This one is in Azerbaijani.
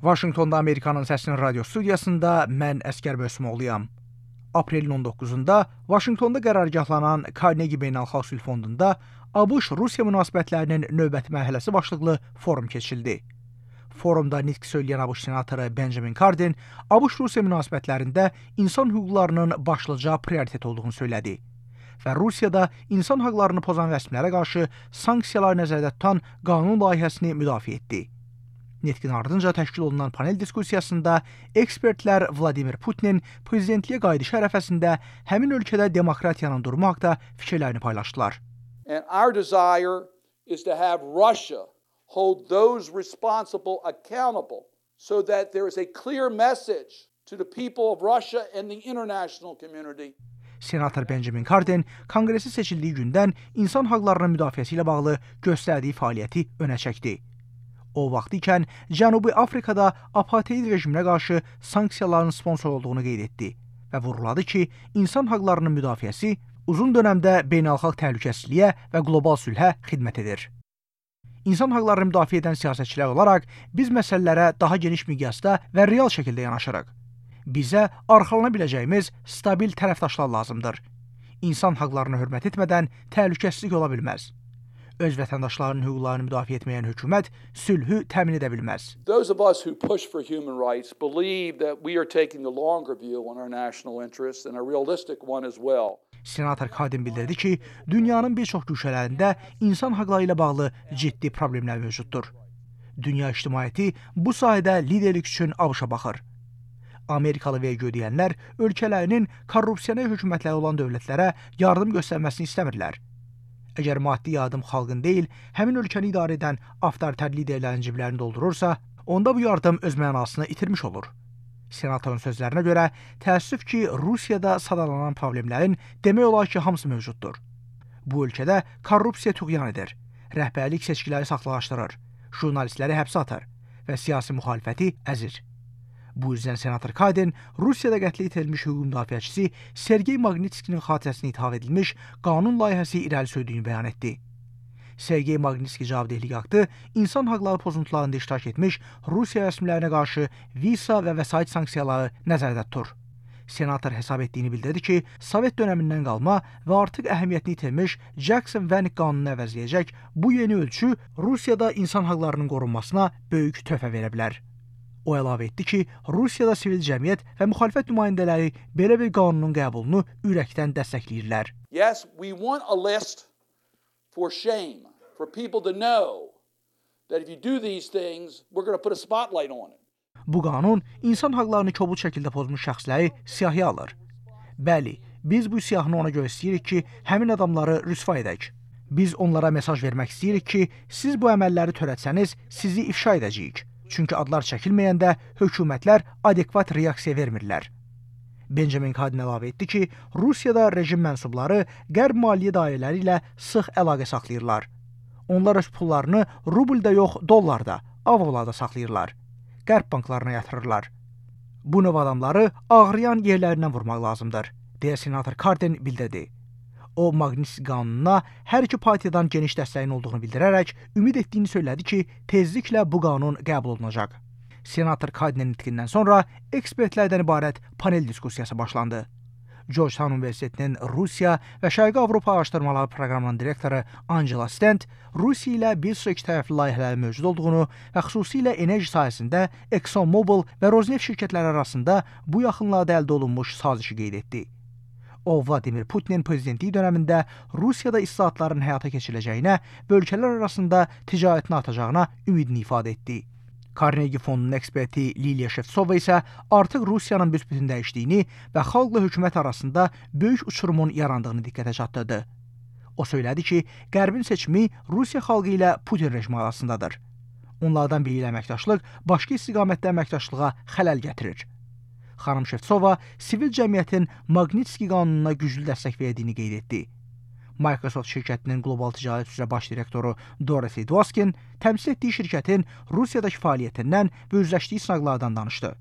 Vaşinqtonda Amerikanın Səsinin radio studiyasında mən Əskər Bösmoğluyam. Aprelin 19-da Vaşinqtonda qərargahlanan Carnegie Beynəlxalq Sülh Fondunda ABŞ-Rusiya münasibətlərinin növbəti mərhələsi başlıqlı forum keçirildi. Forumda nitq söyləyən ABŞ senatoru Benjamin Cardin, ABŞ-Rusiya münasibətlərində insan hüquqlarının başlıca prioritet olduğunu söylədi və Rusiyada insan hüquqlarını pozan rəsmilərə qarşı sanksiyalar nəzərdə tutan qanun layihəsini müdafiə etdi. Nitqin ardınca təşkil olunan panel diskusiyasında ekspertlər Vladimir Putinin prezidentliyə qayıdışı ərəfəsində həmin ölkədə demokratiyanın durumu haqqında fikirlərini paylaşdılar. And our desire is to have Russia hold those responsible accountable so that there is a clear message to the people of Russia and the international community. Senator Benjamin Cardin konqresi seçildiyi gündən insan hüquqlarının müdafiəsi ilə bağlı göstərdiyi fəaliyyəti önə çəkdi. O vaxt ikən Cənubi Afrikada apartheid rejiminə qarşı sanksiyaların sponsor olduğunu qeyd etdi və vurğuladı ki, insan hüquqlarının müdafiəsi uzun dönəmdə beynəlxalq təhlükəsizliyə və qlobal sülhə xidmət edir. İnsan hüquqlarını müdafiə edən siyasətçilər olaraq biz məsələlərə daha geniş miqyasda və real şəkildə yanaşırıq. Bizə arxalana biləcəyimiz stabil tərəfdaşlar lazımdır. İnsan hüquqlarını hörmət etmədən təhlükəsizlik ola bilməz. Öz vətəndaşlarının hüquqlarını müdafiə etməyən hökumət sülhü təmin edə bilməz. Those of us who push for human rights believe that we are taking the longer view on our national interests and a realistic one as well. Senator Cardin bildirdi ki, dünyanın bir çox güşələrində insan hüquqları ilə bağlı ciddi problemlər mövcuddur. Dünya ictimaiyyəti bu sahədə liderlik üçün ABŞ-a baxır. Amerikalı vergi ödəyənlər ölkələrinin korrupsiyaya hökumətləri olan dövlətlərə yardım göstərməsini istəmirlər. Əgər maddi yardım xalqın deyil, həmin ölkəni idarə edən avtoritar liderlərin ciblərini doldurursa, onda bu yardım öz mənasını itirmiş olur. Senatorun sözlərinə görə, təəssüf ki, Rusiyada sadalanan problemlərin demək olar ki, hamısı mövcuddur. Bu ölkədə korrupsiya tüğyan edir, rəhbərlik seçkiləri saxtalaşdırır, jurnalistləri həbsə atır və siyasi müxalifəti əzir. Bu yüzden Senator Cardin, Rusiyada qətlə yetirilmiş hüquq müdafiəçisi Sergey Magnitskinin xatirəsinə ithaf edilmiş qanun layihəsi irəli sürdüyünü bəyan etdi. Sergey Magnitski cavabdehlik aktı insan hüquqları pozuntularında iştirak etmiş Rusiya rəsmilərinə qarşı visa və vəsait sanksiyaları nəzərdə tutur. Senator hesab etdiyini bildirdi ki, Sovet dönəmindən qalma və artıq əhəmiyyətini itirmiş Jackson-Vanik qanununu əvəzləyəcək bu yeni ölçü Rusiyada insan hüquqlarının qorunmasına böyük töhfə verə bilər. O əlavə etdi ki, Rusiyada sivil cəmiyyət və müxalifət nümayəndələri belə bir qanunun qəbulunu ürəkdən dəstəkləyirlər. Yes, we want a list for shame, for people to know that if you do these things, we're going to put a spotlight on it. Bu qanun insan hüquqlarını kobud şəkildə pozmuş şəxsləri siyahıya alır. Bəli, biz bu siyahını ona görə istəyirik ki, həmin adamları rüsva edək. Biz onlara mesaj vermək istəyirik ki, siz bu əməlləri törətsəniz, sizi ifşa edəcəyik. Çünki adlar çəkilməyəndə hökumətlər adekvat reaksiya vermirlər. Benjamin Cardin əlavə etdi ki, Rusiyada rejim mənsubları qərb maliyyə dairələri ilə sıx əlaqə saxlayırlar. Onlar öz pullarını rublda yox, dollarda, avrolarda saxlayırlar. Qərb banklarına yatırırlar. Bu növ adamları ağrıyan yerlərindən vurmaq lazımdır, deyə senator Cardin bildirdi. O, Magnitski qanununa hər iki partiyadan geniş dəstəyin olduğunu bildirərək ümid etdiyini söylədi ki, tezliklə bu qanun qəbul olunacaq. Senator Cardinin nitqindən sonra ekspertlərdən ibarət panel diskusiyası başlandı. Georgetown Universitetinin Rusiya və Şərqi Avropa Araşdırmaları Proqramının direktoru Angela Stent, Rusiya ilə bir sıra ikitərəfli layihələrin mövcud olduğunu və xüsusilə enerji sahəsində ExxonMobil və Rosneft şirkətləri arasında bu yaxınlarda əldə olunmuş sazişi qeyd etdi. O, Vladimir Putinin prezidentliyi dönəmində Rusiyada islahatların həyata keçiriləcəyinə və ölkələr arasında ticarətin artacağına ümidini ifadə etdi. Carnegie Fondunun eksperti Liliya Shevtsova isə artıq Rusiyanın büsbütün dəyişdiyini və xalqla hökumət arasında böyük uçurumun yarandığını diqqətə çatdırdı. O söylədi ki, Qərbin seçimi Rusiya xalqı ilə Putin rejimi arasındadır. Onlardan biri ilə əməkdaşlıq başqa istiqamətdə əməkdaşlığa xələl gətirir. Xanım Shevtsova sivil cəmiyyətin Magnitski qanununa güclü dəstək verdiyini qeyd etdi. Microsoft şirkətinin qlobal ticarət üzrə baş direktoru Dorothy Dwoskin təmsil etdiyi şirkətin Rusiyadakı fəaliyyətindən və üzləşdiyi sınaqlardan danışdı.